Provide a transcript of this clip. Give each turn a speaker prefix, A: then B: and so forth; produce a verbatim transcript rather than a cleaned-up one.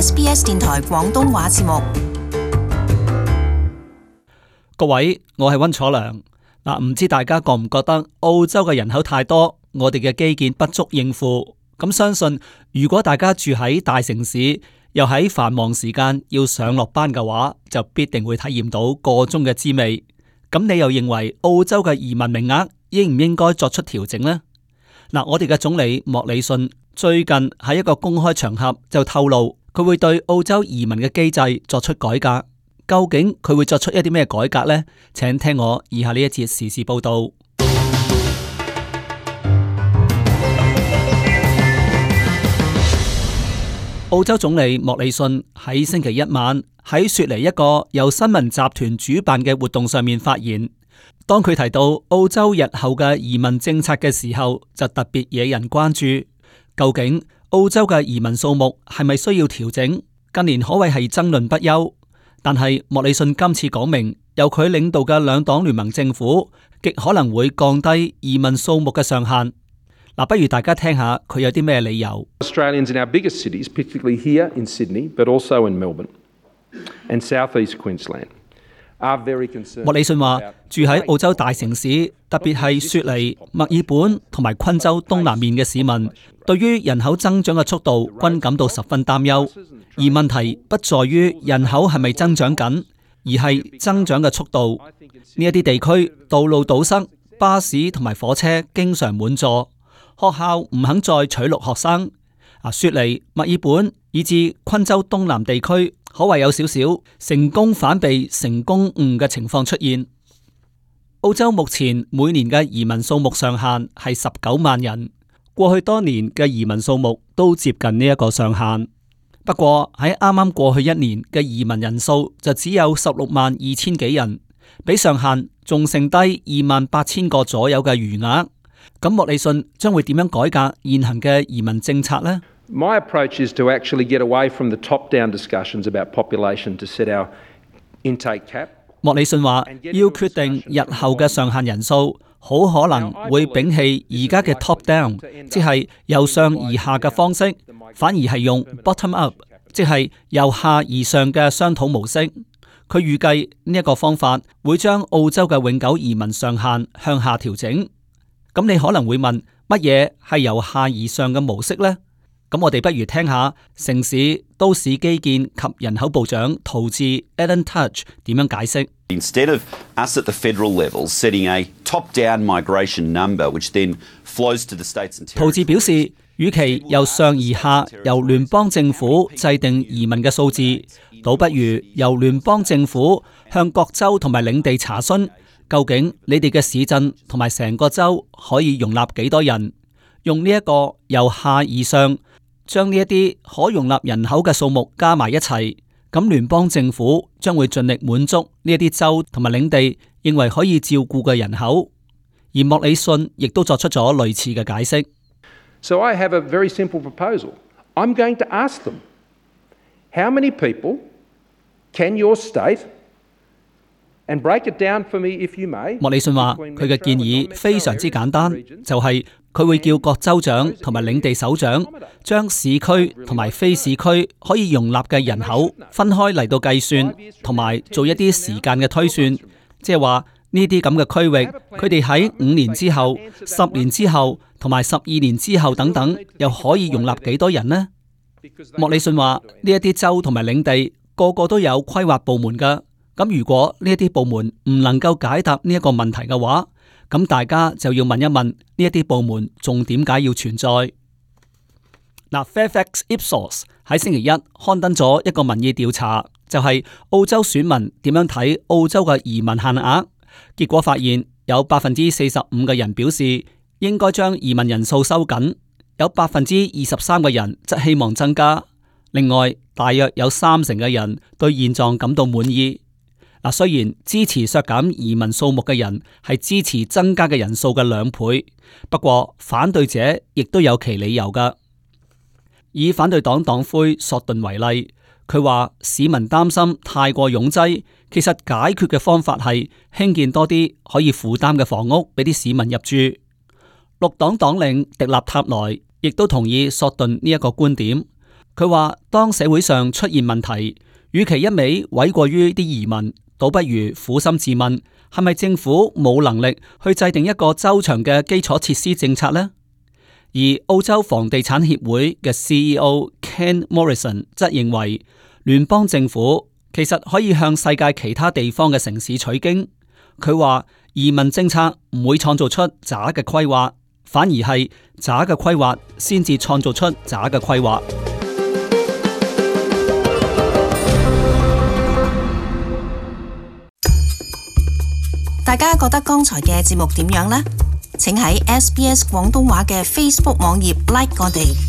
A: S B S 電台廣東話節目。
B: 各位，我係溫楚良。嗱，唔知大家覺唔覺得澳洲嘅人口太多，我哋嘅基建不足應付？咁相信如果大家住喺大城市，又喺繁忙時間要上落班嘅話，就必定會體驗到個中嘅滋味。咁你又認為澳洲嘅移民名額應唔應該作出調整呢？嗱，我哋嘅總理莫里遜最近喺一個公開場合就透露，佢會對澳洲移民嘅機制作出改革。究竟佢會作出一啲咩改革呢？請聽我以下呢一節時事報道。澳洲總理莫里遜喺星期一晚喺雪梨一個由新聞集團主辦嘅活動上面發言。當佢提到澳洲日後嘅移民政策嘅時候，就特別惹人關注。究竟澳洲嘅移民數目係咪需要調整？近年可謂係爭論不休。但係莫里遜今次講明，由佢領導嘅兩黨聯盟政府極可能會降低移民數目嘅上限。嗱，不如大家聽下佢有啲咩理由。
C: Australians in our biggest cities, particularly here in Sydney, but also in Melbourne and South East Queensland, are very concerned.
B: 莫里遜話，住喺澳洲大城市，特別係雪梨、墨爾本同埋昆州東南面嘅市民，對於人口增長嘅速度均感到十分擔憂。而問題不在於人口係咪增長緊，而係增長嘅速度。呢一啲地區道路堵塞，巴士同埋火車經常滿座。學校唔肯再取錄學生，啊，雪梨、墨爾本以至昆州東南地區，可謂有少少成功反被成功誤嘅情況出現。澳洲目前每年嘅移民數目上限係十九萬人，過去多年嘅移民數目都接近呢一個上限。不過喺啱啱過去一年嘅移民人數就只有十六萬二千幾人，比上限仲剩低二萬八千個左右嘅餘額。咁莫里遜將會點樣改革現行嘅移民政策呢？
C: My approach is to actually get away from the top-down discussions about population to set our intake cap.
B: 莫里遜話，要決定日後嘅上限人數，好可能會摒棄而家嘅 top-down， 即係由上而下嘅方式，反而係用 bottom-up， 即係由下而上嘅商討模式。佢預計呢一個方法會將澳洲嘅永久移民上限向下調整。咁你可能會問，乜嘢係由下而上嘅模式呢？咁我哋不如聽下城市、都市基建及人口部長陶治 Alan Tudge 點樣解釋。
D: Instead of us at the federal level setting a top-down migration number, which then flows to the states and territories.
B: 陶治表示，與其由上而下由聯邦政府制定移民嘅數字，倒不如由聯邦政府向各州同埋領地查詢。究竟你哋嘅市鎮同埋成個州可以容納幾多人？用呢一個由下而上，將呢一啲可容納人口嘅數目加埋一齊，咁聯邦政府將會盡力滿足呢一啲州同埋領地認為可以照顧嘅人口。而莫里遜亦都作出咗類似嘅解釋。
C: So I have a very simple proposal. I'm going to ask them, how many people can your state?
B: 莫里遜話：佢嘅建議非常之簡單，就係佢會叫各州長同埋領地首長將市區同埋非市區可以容納嘅人口分開嚟到計算，同埋做一啲時間嘅推算，即係話呢啲咁嘅區域，佢哋喺五年之後、十年之後同埋十二年之後等等，又可以容納幾多人呢？莫里遜話：呢一啲州同埋領地個個都有規劃部門㗎。咁如果呢一啲部門唔能夠解答呢一個問題嘅話，咁大家就要問一問呢一啲部門仲點解要存在？嗱 ，Fairfax Ipsos 喺星期一刊登咗一個民意調查，就係澳洲選民點樣睇澳洲嘅移民限額。結果發現有百分之四十五嘅人表示應該將移民人數收緊，有百分之二十三嘅人則希望增加。另外，大約有三成嘅人對現狀感到滿意。嗱，雖然支持削減移民數目嘅人係支持增加嘅人數嘅兩倍，不過反對者亦都有其理由㗎。以反對黨黨魁索頓為例，佢話市民擔心太過擁擠，其實解決嘅方法係興建多啲可以負擔嘅房屋俾啲市民入住。綠黨黨領迪納塔萊亦都同意索頓呢一個觀點。佢話當社會上出現問題，與其一味諉過於啲移民，倒不如苦心自問，係咪政府冇能力去制定一個周詳嘅基礎設施政策呢？而澳洲房地產協會嘅 C E O Ken Morrison 則認為，聯邦政府其實可以向世界其他地方嘅城市取經。佢話移民政策唔會創造出渣嘅規劃，反而係渣嘅規劃先至創造出渣嘅規劃。
A: 大家覺得剛才嘅節目點樣呢？請喺 S B S 廣東話嘅 Facebook 網頁 like 我哋。